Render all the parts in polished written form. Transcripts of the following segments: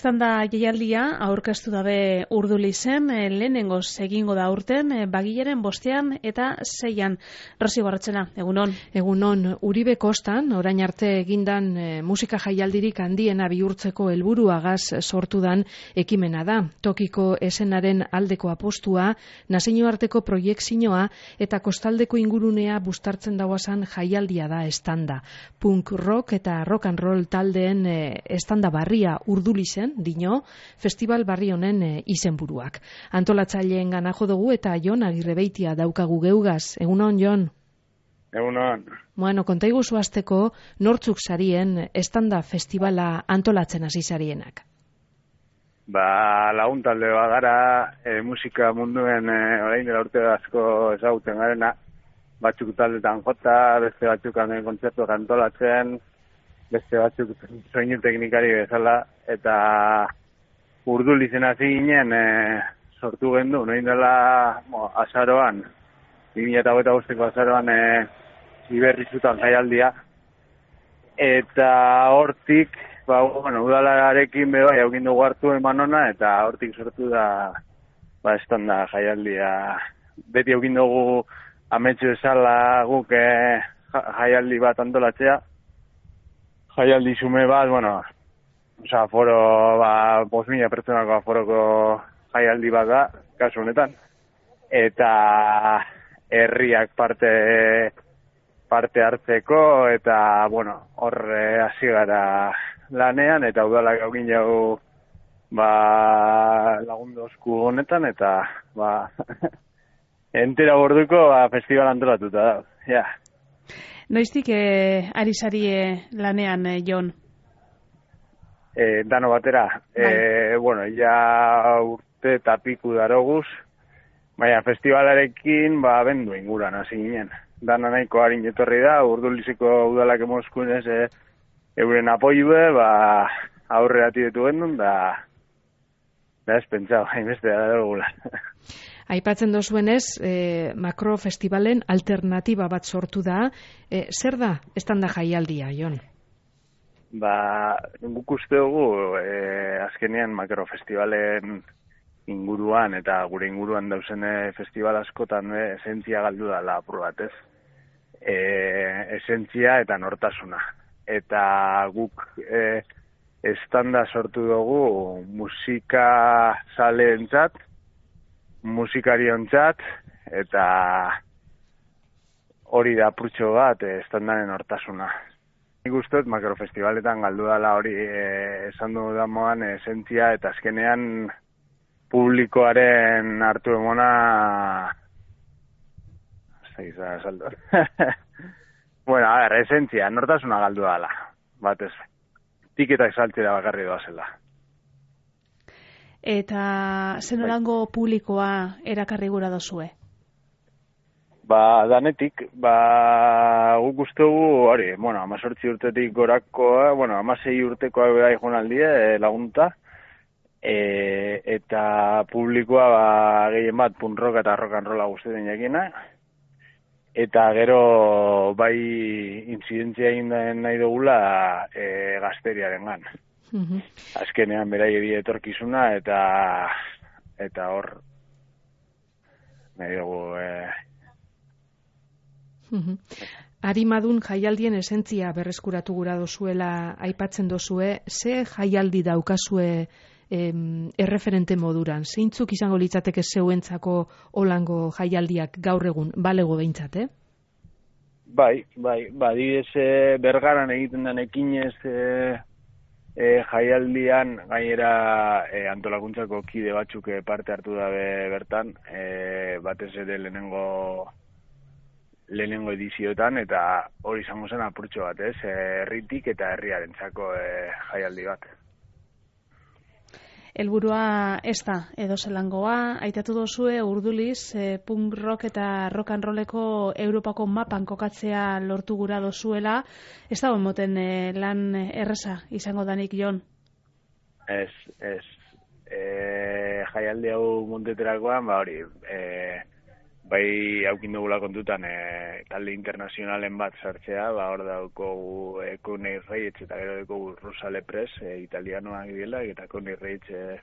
Estanda jaialdia aurkeztu dabe Urdulizen, lehenengoz egingo da aurten, bagilaren 5 eta 6. Rosi Barratxena, egunon. Egunon, Uribe Kostan, orain arte egindan musika jaialdirik handiena bihurtzeko helburuagaz sortu dan ekimena da. Tokiko esenaren aldeko apostua, nazioarteko proiekzioa eta kostaldeko ingurunea bustartzen dauazan jaialdia da Estanda. Punk rock eta rock and roll taldeen Estanda barria Urdulizen, dino, festival barri honen izenburuak. Antolatzaileen gana jo dugu eta Jon Agirrebeitia daukagu geugaz. Egunon, Jon? Egunon. Bueno, kontaiguzu hasteko nortzuk sarien Estanda festivala antolatzen hasi sarienak? Lagun talde bagara, musika munduen orain dela urte asko ezaguten garena, batzuk taldetan jota, beste batzuk kontzertuak antolatzen, beste batzuk soinu teknikari bezala, eta Urdulizen hasi ginen sortu gendu, noin dela azaroan, 2025ko azaroan Iberrizutan jaialdia, eta hortik, udalarekin bai haukin dugu hartu eman ona, eta hortik sortu da Estanda jaialdia. Beti haukin dugu ametsu esala guk jaialdi bat antolatzea, jaialdi zume bat, aforo, 5.000 pertsonako aforoko jaialdi bat da, kasu honetan. Eta herriak parte hartzeko, eta, hor hasi gara lanean, eta udalak haukin jau lagundozku honetan, eta entera borduko festival antolatuta da. Ja. Noiztik ari sarie lanean, Jon? Dano batera. Ja urte eta piku daroguz, baina festivalarekin bendu inguran hasi ginen. Dana nahiko harin etorri da, Urdulizeko udalak emoskunez euren apoiue, aurrera tiretu gendun, da ez pentsau, hainbeste da dugula. Aipatzen dozuenez, makrofestivalen alternatiba bat sortu da. Zer da Estanda jaialdia, Jon? Guk uste dugu, azkenean makrofestivalen inguruan eta gure inguruan dauzen festival askotan esentzia galdu dela apur bat, ez? Esentzia eta nortasuna. Eta guk Estanda sortu dugu musika zaleentzat, musikariontzat, eta hori da apurtxo bat Estandaren hortasuna. Nik uste makrofestivaletan galdu dela hori esan du damoan esentzia, eta azkenean publikoaren hartu emona saldo. Esentzia, nortasuna galdu dela, batez. Tiketak saltzera bakarri doazela. Eta zenolango publikoa erakarri gura dozue? Danetik, guk ustugu, 18 urtetik gorakoa, 16 urtekoa bera ikonaldie lagunta, eta publikoa gehien bat punk rock eta rock and rolla guztien jakina, eta gero intzidentzia egin nahi dugula gazteriaren gan. Azkenean berai ebi etorkizuna, eta hor nahi dugu... Arimadun jaialdien esentzia berreskuratu gura dozuela aipatzen dozue, ze jaialdi daukazue erreferente moduran? Zeintzuk izango litzateke zeuentzako holango jaialdiak gaur egun, balego behintzat, Adibidez Bergaran egiten den ekinez jaialdian, gainera antolakuntzako kide batzuk parte hartu dabe bertan, batez ere lehenengo edizioetan, eta hori izango zen apurtxo bat, herritik eta herriarentzako jaialdi bat. Helburua ez da, edo zelangoa, aitatu dozue Urduliz, punk rock eta rock and rolleko Europako mapan kokatzea lortu gura dozuela, ez da moten lan erreza izango danik, Jon? Ez. Jaialdi hau monteterakoan, bai haukin dugula kontutan talde internazionalen bat sartzea, hor daukogu Coney Reyes eta gero daukogu Rosa Lepres, italianoak dira, eta Coney Reyes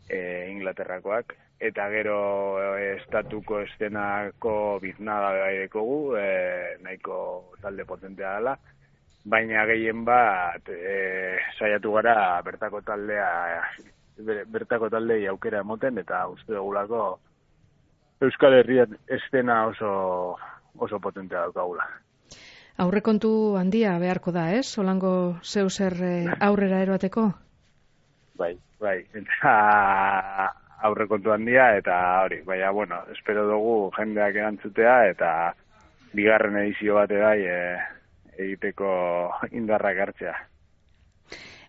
Inglaterrakoak, eta gero estatuko estenako biznaga bai dekogu, nahiko talde potentea dela, baina gehien bat saiatu gara bertako taldei aukera emoten, eta uste dugulako Euskal Herrian estena oso potentea daukagula. Aurrekontu handia beharko da, ez? Solango zeu zer aurrera eroateko? Bai. Eta aurrekontu handia eta hori, baina, bueno, espero dugu jendeak erantzutea eta bigarren edizio bate bai egiteko indarrak hartzea.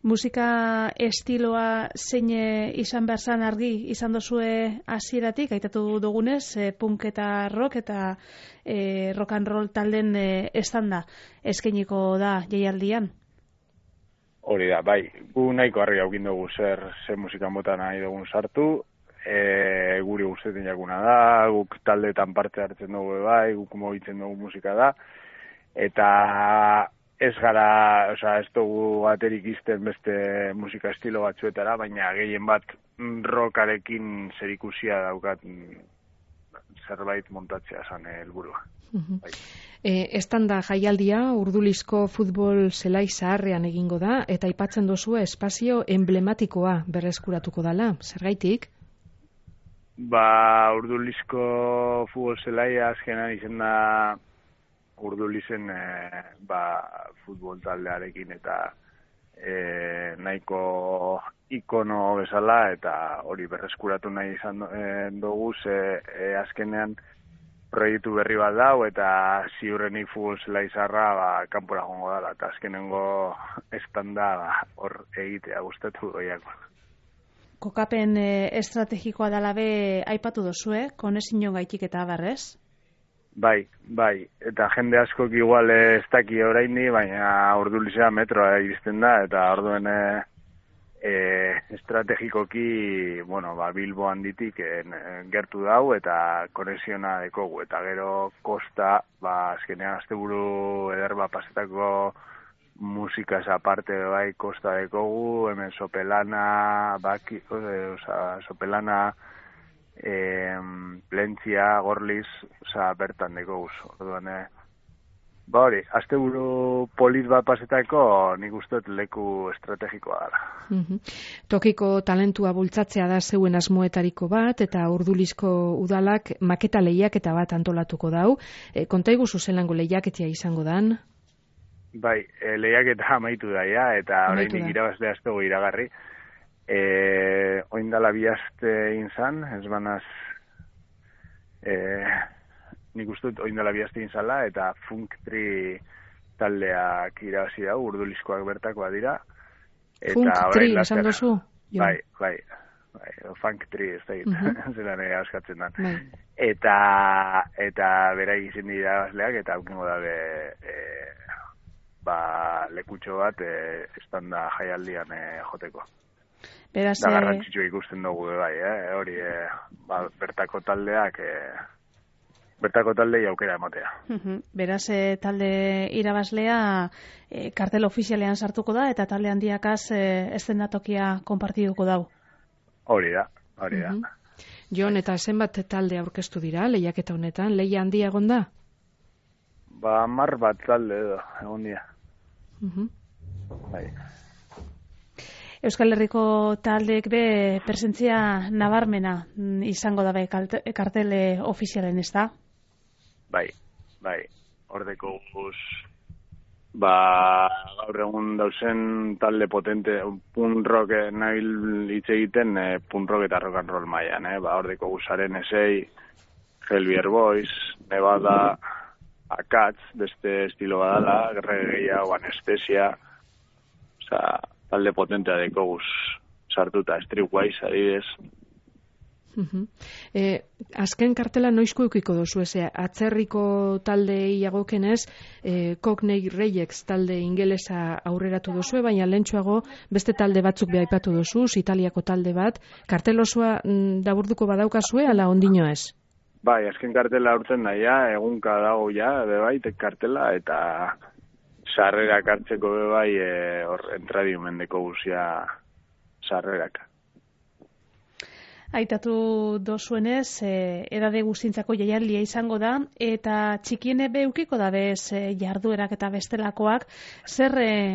Musika estiloa zein izan behar zan argi izan dozue hasieratik, aitatu dugunez, punk eta rock eta rock and roll talden estanda eskainiko da jaialdian? Hori da, bai, gu nahiko argi haukin dugu zer musika mota nahi dugun sartu, guri gustetan jakuna da, guk taldeetan parte hartzen dugu bai, guk mogitzen dugu musika da, eta ez gara, ez dugu baterik izten beste musika estilo batzuetara, baina gehien bat rockarekin zerikusia daukat zerbait montatzea zan helburua. Bai. Estanda jaialdia Urdulizko futbol zelai zaharrean egingo da, eta aipatzen duzu espazio emblematikoa berreskuratuko dela. Zergaitik? Urdulizko futbol zelaia azkenan izen da Urdulizen futbol taldearekin eta nahiko ikono bezala, eta hori berreskuratu nahi izan dugu, azkenean proiektu berri bat dau, eta ziurrenik futbol zelai zaharra kanpora joango dela, eta azkenengo estanda hor egitea gustatu goiako. Kokapen estrategikoa dela be aipatu dozue, konezion gaitik eta barrez? Bai, eta jende askok igual ez daki oraindi, baina Urdulizea metroa iristen da, eta orduen estrategikoki, Bilbo handitik gertu dau, eta koneziona dekogu, eta gero kosta, azkenean asteburu eder pasetako musikaz aparte bai kosta dekogu, hemen Sopelana, Sopelana, Plentzia, Gorliz, bertan dekogu. Orduan, hori, asteburu polit bat pasetako nik usteet leku estrategikoa dara. Tokiko talentua bultzatzea da zeuen asmoetariko bat, eta Urdulizko udalak maketa lehiaketa bat antolatuko dau. Konta iguzu zelango lehiaketia izango dan? Bai, lehiaketa amaitu daia, eta oraindik irabazlea ez dugu iragarri. Oindala bihazte inzan, ez banaz nik uste oindala bihazte inzala, eta Funk Tri taldeak irabazi dau, Urdulizkoak bertakoa dira. Funk Tri, esan dozu? Bai, Funk Tri, ez da zelan askatzen da. Eta bera egizien dira irabazleak, eta aukengo dabe lekutxo bat estanda jaialdian joteko. Beraz, da garrantzitsu ikusten dugu bai, hori bertako taldeak bertako taldei aukera ematea. Beraz, talde irabazlea kartel ofizialean sartuko da, eta talde handiakaz eszenatokia konpartiduko dau. Hori da. Jon, eta zenbat talde aurkeztu dira lehiaketa honetan? Lehia handia egon da? 10 bat talde egon dira. Bai. Euskal Herriko taldeek be presentzia nabarmena izango da be kartele ofizialen, ez da? Bai. Hordeko guz gaur egun dauzen talde potente punk rock nabil hitz egiten punk rock eta rock and roll mailan, hordeko guzaren esei, Helbier Boys, Nevada, Akatz, beste estilo badala, reggaea o anestesia, talde potentea dekoguz sartuta, Streetwise, adibidez. Azken kartela noizko eukiko dozu, atzerriko talde iagokenez, Cockney Rejects talde ingelesa aurreratu dozu, baina lehentxoago beste talde batzuk behaipatu dozu, Italiako talde bat, kartel osoa daburduko badaukazue, ala ondino ez? Bai, azken kartela urtzen daia, egunka dago ja, bebai, kartela, eta sarrerak hartzeko bebai, entradiumendeko guzia sarrerak. Aitatu dozuenez, edade guztintzako jaialdia izango da, eta txikiene beukiko da bez jarduerak eta bestelakoak, zer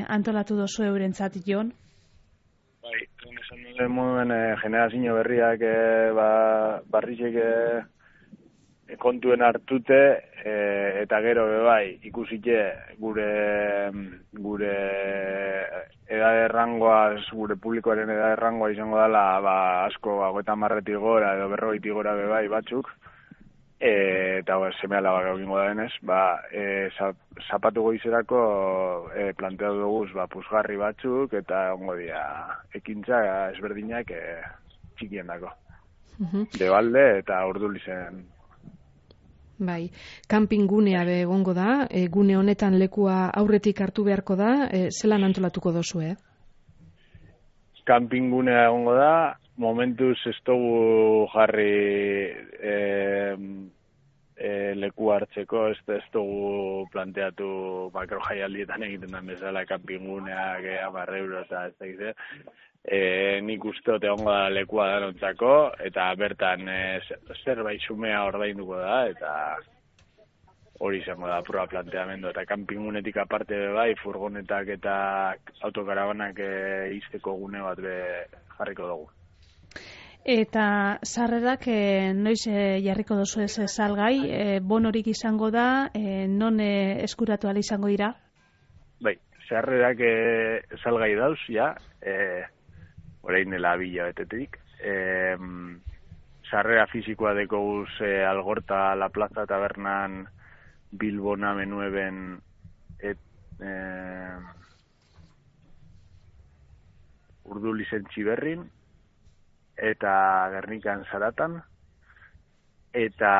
antolatu dozu eurentzat, Jon? Bai, esan duen moduen generazio berriak barrizek kontuen hartute, eta gero bebai ikusite gure edade errangoa, gure publikoaren edade errangoa izango dela asko 50 gora edo 40 gora bebai batzuk, eta seme-alabak egingo da denez, zapatu goizerako planteatu duguz puzgarri batzuk eta ongo dira ekintza ezberdinak txikien dako. Debalde eta Urdulizen. Bai, kanpingunea egongo da, gune honetan lekua aurretik hartu beharko da, zelan antolatuko dozu, Kanpingunea egongo da, momentuz ez dugu jarri leku hartzeko, ez dugu planteatu makrojaialdietan egiten den bezala kanpinguneak 10 euro eta ez da nik uste dut egongo da lekua danontzako, eta bertan zerbait xumea ordainduko da, eta hori izango da pura planteamendu, eta kanpingunetik aparte bai, furgonetak eta autokarabanak izteko gune bat jarriko dugu. Eta sarrerak noiz jarriko dozu ez salgai, bonorik izango da, non eskuratu ala izango dira? Bai, sarrerak salgai dauz, ja, orain dela 2 hilabetetik. Sarrera fizikoa deko guz Algorta, La Plaza Tabernan, Bilbona Menueben, Urdulizen Txiberrin, eta Gernikan Zaratan, eta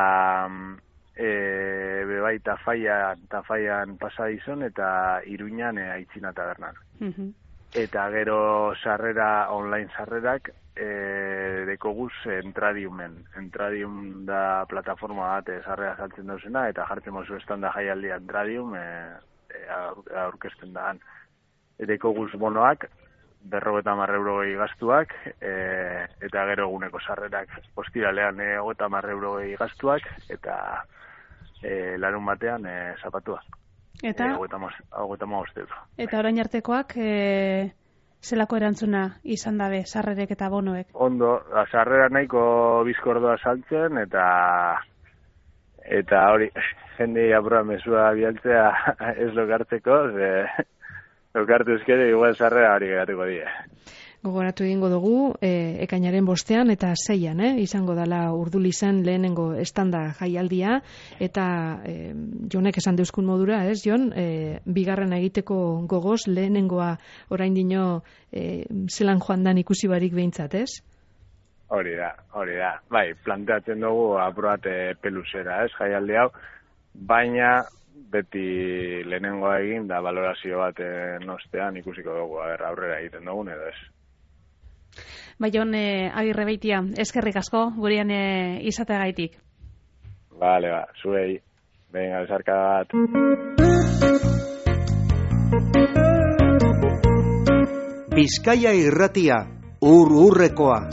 bebai Tafaian Pasadizon, eta Iruñan Aitzina Tabernan. Eta gero online sarrerak deko guz Entradiumen. Entradium da plataforma bat sarrera saltzen dauzena, eta jartzen mozu estanda jaialdia Entradium aurkezten daan. Deko guz bonoak, 50 euro gastuak, eta gero eguneko sarrerak ostiralean 50 euro gastuak, eta larun batean zapatua. Eta 55 euro. Eta orain artekoak zelako erantzuna izan dabe sarrerek eta bonoek? Ondo, sarrera nahiko bizkordoa saltzen, eta hori, jende apura mesua bialtzea ez lokartzeko, lokartu ezkero igual sarrera hori geratuko die. Gogoratu egingo dugu, ekainaren 5 eta 6 izango dela Urdulizen lehenengo estanda jaialdia, eta Jonek esan deuskun modura, Jon, bigarren egiteko gogoz lehenengoa orain dino zelan joan dan ikusi barik behintzat, Hori da. Bai, planteatzen dugu apurat pelusera, jaialdi hau, baina beti lehenengoa egin da valorazio bat ostean ikusiko dugu, aurrera egiten dugun edo ez. Jon Agirre Beitia, eskerrik asko gurean izateagaitik. Vale, zuei. Venga, besarka bat. Bizkaia Irratia, ur-urrekoa.